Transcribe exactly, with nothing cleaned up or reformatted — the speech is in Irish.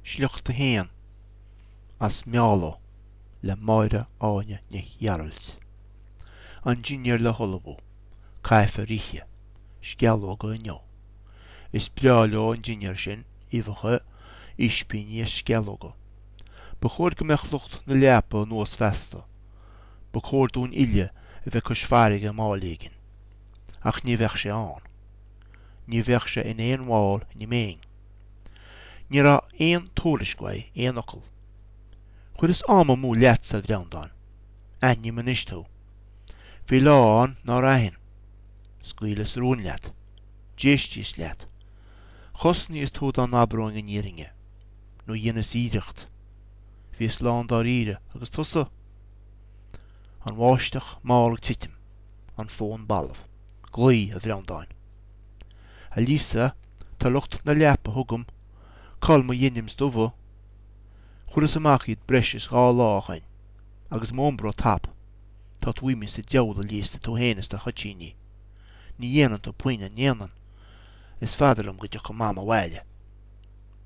Sliocht a haon as Meálo le Máire Áine Nic Ghearailt. An dinnéar le hullmhú. Caithfear ithe. Sceallóga inniu. Is breá leo an dinnéar sin, uibheacha, ispíní is sceallóga. Ba chóir go mbeadh lucht na leapa anuas feasta. Ba chóir dúinn uile a bheith cois farraige am éigin. Ach ní bheadh sé ann. Ní bheadh sé in aon bhall ina mbeinn. Ní raibh aon tuairisc uaidh, aon fhocal. Chuireas am amú leatsa, a Bhreandáin. Aithním anois tú. Bhí lá ann nár aithin. Scaoileas rún leat. D'éistíos leat. Chosnaíos tú dá n-abróinn an fhírinne. Nó dheineas iarracht. Bhíos lán dáiríre agus tusa? An bháisteach mall ag titim. An fón balbh. Glaoigh, a Bhreandáin. A Lisa, tá lucht na leapa chugam. Cá bhfuil mo denims dubha. Chuireas amach iad breis is dhá lá ó shin, agus m'Umbro tap. Tá tú imithe sa diabhal, a Lisa, tú féin is do thoitíní. Ní dhéanann tú puinn, an ndéanann? Is fada liom go dtiocfaidh Mam abhaile.